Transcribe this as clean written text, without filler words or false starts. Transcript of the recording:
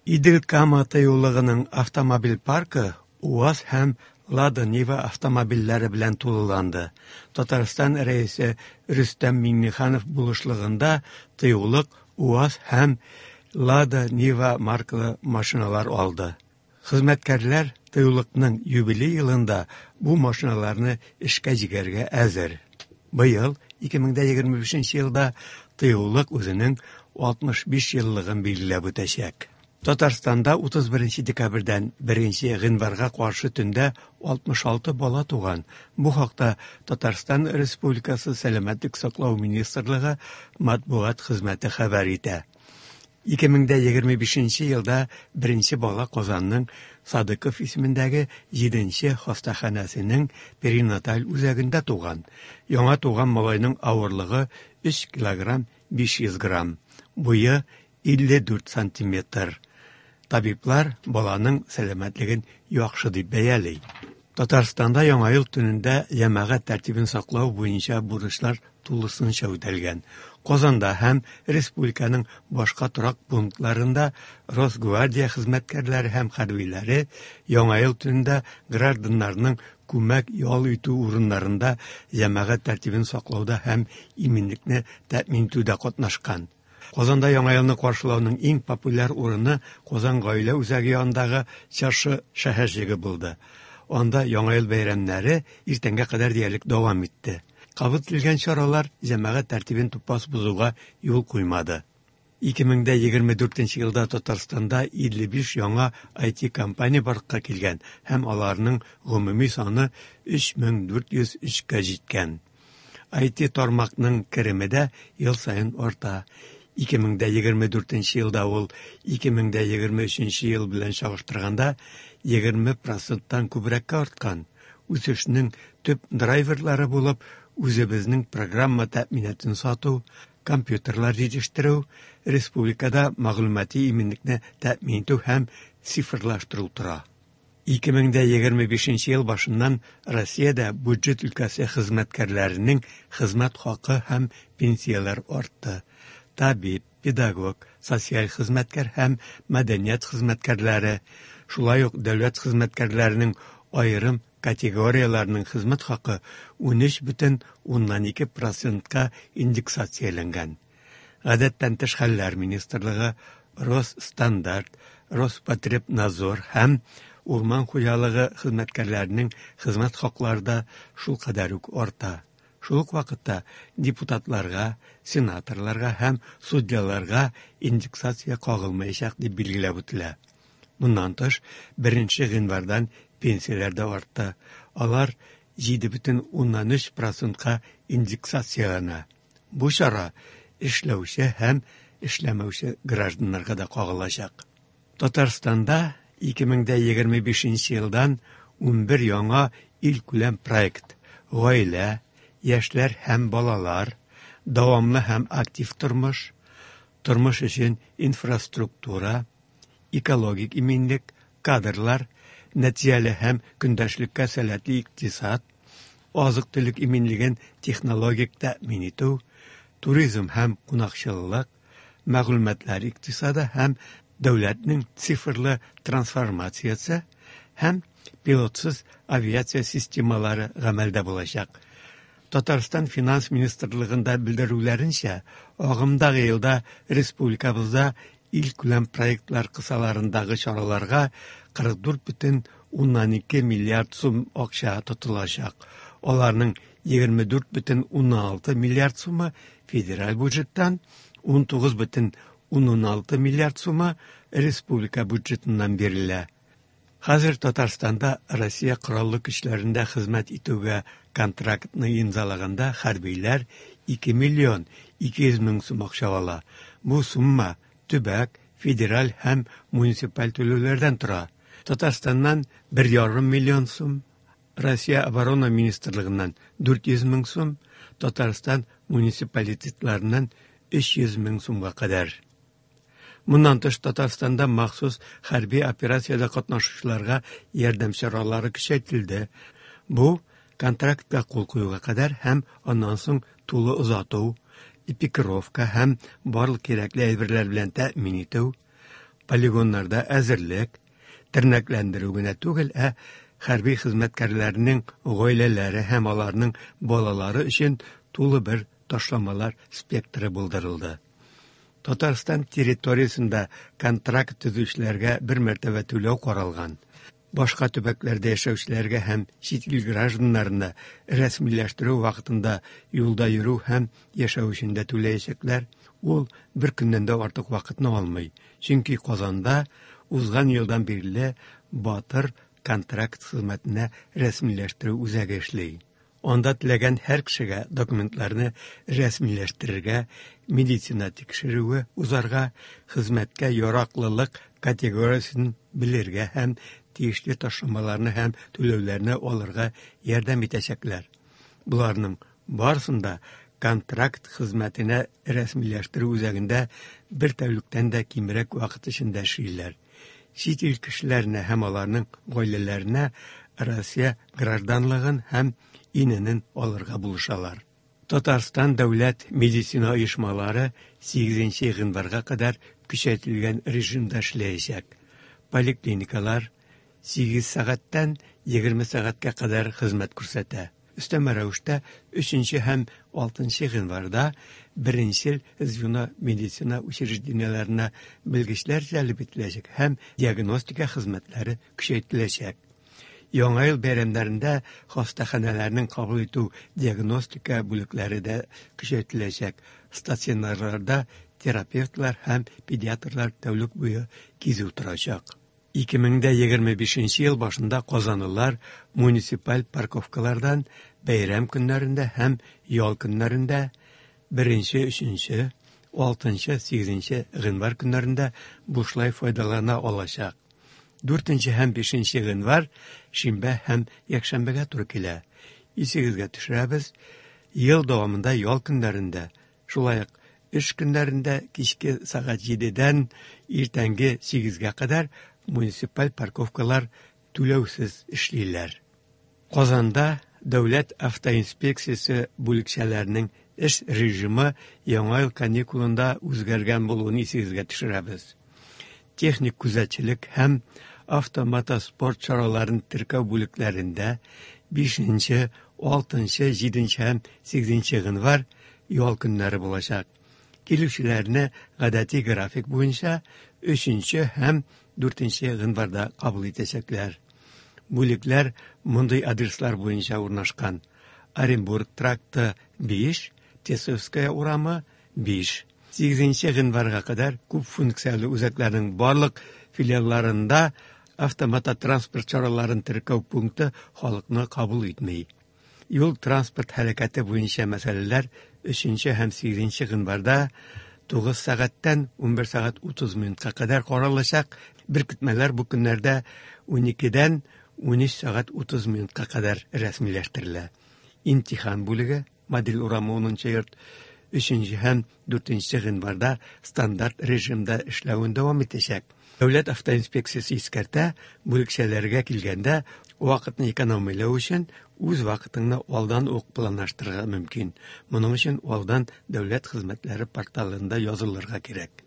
Идел-Кама тыюлыгының автомобиль паркы УАЗ һәм Лада Нива автомобильләре белән тулыланды. Татарстан Рәисе Рөстәм Миңнеханов булышлыгында тыюлык УАЗ һәм Лада Нива маркалы машиналар алды. Хезмәткәрләр тыюлыкның юбилей елында бу машиналарны эшкә җигәргә әзер. Быел, 2025 елда, тыюлык үзенең 65 еллыгын билгеләп үтәчәк. Татарстанда 31 декабрьдән 1 гыйнварга каршы төндә 66 бала туган. Бу хакта Татарстан Республикасы Сәламәтлек саклау министрлыгы матбугат хезмәте хәбәр итә. 2025 елда беренче бала Казанның Садыков исемендәге 7 хастаханәсенең перинаталь үзәгендә туган. Яңа туган малайның авырлыгы 3 килограмм 500 грамм, буе 54 сантиметр. Табиблар баланың сәламәтлеген яхшы дип бәяли. Татарстанда Яңа ел төнендә җәмәгать тәртибен саклау буенча бурычлар тулысынча үтәлгән. Казанда һәм республиканың башка торак пунктларында Росгвардия хезмәткәрләре һәм хәрбиләре Яңа ел төнендә гражданнарның күмәк ял итү урыннарында җәмәгать тәртибен саклауда һәм иминлекне тәэмин итүдә катнашкан. Казанда Яңа елны каршылауның иң популяр урыны Казан гаилә үзәге янындагы Чыршы шәһәрчеге булды. Анда Яңа ел бәйрәмнәре иртәнгә кадәр диярлек дәвам итте. Кабул ителгән чаралар җәмәгать тәртибен тупас бозуга юл куймады. 2024 елда Татарстанда 55 яңа IT-компания барлыкка килгән һәм аларның гомуми саны 3403 кә җиткән. IT тармакның кереме дә ел саен арта. 2024 елда ул 2023 ел белән чагыштырганда 20 проценттан күбрәккә арткан. Үсешнең төп драйверлары булып үзебезнең программа тәэминатын сату, компьютерлар җитештерү, республикада мәгълүмати иминлекне тәэмин итү һәм цифрлаштыру тора. 2025 ел башыннан Россиядә бюджет өлкәсе хезмәткәрләренең хезмәт хакы һәм пенсияләр артты. Табиб, педагог, социаль хезмәткәр һәм мәдәният хезмәткәрләре, шулай ук дәүләт хезмәткәрләренең аерым категорияләренең хезмәт хакы 13,2 процентка индексацияләнгән. Гадәттән тыш хәлләр министрлыгы, Росстандарт, Роспотребнадзор һәм урман хуҗалыгы хезмәткәрләренең хезмәт хаклары да шулкадәр үк арта. Шул ук вакытта депутатларга, сенаторларга һәм судьяларга индексация кагылмаячак дип билгеләп үтелә. Моннан тыш, 1 гыйнвардан пенсияләр дә артты. Алар 7,3 процентка индексацияләнә. Бу чара эшләүче һәм эшләмәүче гражданнарга да кагылачак. Татарстанда 2025 елдан 11 яңа илкүләм проект гаилә, яшьләр һәм балалар, дәвамлы һәм актив тормыш, тормыш өчен инфраструктура, экологик иминлек, кадрлар, нәтиҗәле һәм көндәшлеккә сәләтле икътисад, азык-төлек иминлеген технологик тәэмин итү, туризм һәм кунакчыллык, мәгълүматлар икътисады һәм дәүләтнең цифрлы трансформациясе һәм пилотсыз авиация системалары гамәлдә булачак. Татарстан финанс министрлыгында белдерүләренчә, агымдагы елда республикабызда илкүләм проектлар кысаларындагы чараларга 44,2 миллиард сум акча тотылачак. Аларның 24,6 миллиард сумы федераль бюджеттан, 19,6 миллиард сумы республика бюджетыннан бирелә. Хәзер Татарстанда Россия Кораллы көчләрендә хезмәт итүгә контрактны имзалаганда хәрбиләр 2 миллион 200 мең сум акча ала. Бу сумма төбәк, федераль һәм муниципаль түләүләрдән тора. Татарстаннан 1,5 миллион сум, Россия Оборона министрлыгыннан 400 мең сум, Татарстан муниципалитетларыннан 300 мең сумга кадәр. Моннан тыш Татарстанда махсус хәрби операциядә катнашучыларга ярдәм чаралары көчәйтелде. Бу контрактка кул куюга кадәр һәм аннан соң тулы озату, экипировка һәм барлык кирәкле әйберләр белән тәэмин итү, Полигоннарда әзерлек, тернәкләндерү генә түгел, ә хәрби хезмәткәрләрнең гаиләләре һәм аларның балалары өчен тулы бер ташламалар спектры булдырылды. Татарстан территориясендә контракт төзүчеләргә бер мәртәбә түләү каралган. Башка төбәкләрдә яшәүчеләргә һәм чит ил гражданнарына рәсмиләштерү вакытында юлда йөрү һәм яшәү өчен дә түләячәкләр. Ул бер көннән дә артык вакытны алмый, чөнки Казанда узган елдан бирле Батыр контракт хезмәтенә рәсмиләштерү үзәге эшли. Анда теләгән һәр кешегә документларны рәсмиләштерергә, медицина тикшерүе узарга, хезмәткә яраклылык категориясен белергә һәм тиешле ташламаларны һәм түләүләрне алырга ярдәм итәчәкләр. Боларның барысын да контракт хезмәтенә рәсмиләштерү үзәгендә бер тәүлектән дә кимрәк вакыт эчендә эшлиләр. Чит ил кешеләренә һәм аларның гаиләләренә Россия гражданлыгын һәм ИНН алырга булышалар. Татарстан дәүләт медицина оешмалары 8 гыйнварга кадәр көчәйтелгән режимда эшләячәк. Поликлиникалар 8 сәгатьтән 20 сәгатькә кадәр хезмәт күрсәтә. Өстәмә рәвештә 3 һәм 6 гыйнварда беренчел звено медицина учреждениеләренә белгечләр җәлеп ителәчәк һәм диагностика хезмәтләре көчәйтеләчәк. Яңа ел бәйрәмнәрендә хастаханәләрнең кабул итү диагностика бүлекләре дә көчәйтеләчәк. Стационарларда терапевтлар һәм педиатрлар тәүлек буе кизү торачак. 2025 ел башында казанлылар муниципаль парковкалардан бәйрәм көннәрендә һәм ял көннәрендә 1, 3, 6, 8 гыйнвар көннәрендә бушлай файдалана алачак. 4 һәм 5 гыйнвар шимбә һәм якшәмбегә туры килә. Исегезгә төшерәбез, ел дәвамында ял көннәрендә, шулай ук эш көннәрендә кичке сәгать 7-дән иртәнге 8-гә кадәр муниципаль парковкалар түләүсез эшлиләр. Казанда дәүләт автоинспекциясе бүлекчәләренең эш режимы яңа ел каникулында үзгәргән булуын исегезгә төшерәбез. Техник күзәтчелек һәм автомотоспорт чараларын теркәү бүлекләрендә 5, 6, 7 һәм 8 гыйнвар ял көннәре булачак. Килүчеләрне гадәти график буенча 3 һәм 4 гыйнварда кабул итәчәкләр. Бүлекләр мондый адреслар буенча урнашкан: Оренбург тракты 5, Тесовская урамы 5. 8 гыйнварга кадәр күп функцияле үзәкләрнең барлык филиалларында автомототранспорт чараларын теркәү пункты халыкны кабул итми. Юл транспорт һәлакәте буенча мәсьәләләр 3 һәм 8 гыйнварда 9 сәгатьтән 11 сәгать 30 минутка кадәр каралачак. Беркетмәләр бу көннәрдә 12-дән 13 сәгать 30 минутка кадәр рәсмиләштерелә. Имтихан бүлеге Модель урамы 10 йорт 3 һәм 4 гыйнварда стандарт режимда эшләвен дәвам итәчәк. Дәүләт автоинспекциясе искәртә, бүлекчәләргә килгәндә вакытны экономияләү өчен үз вакытыңны алдан ук планлаштырырга мөмкин. Моның өчен алдан дәүләт хезмәтләре порталында язылырга кирәк.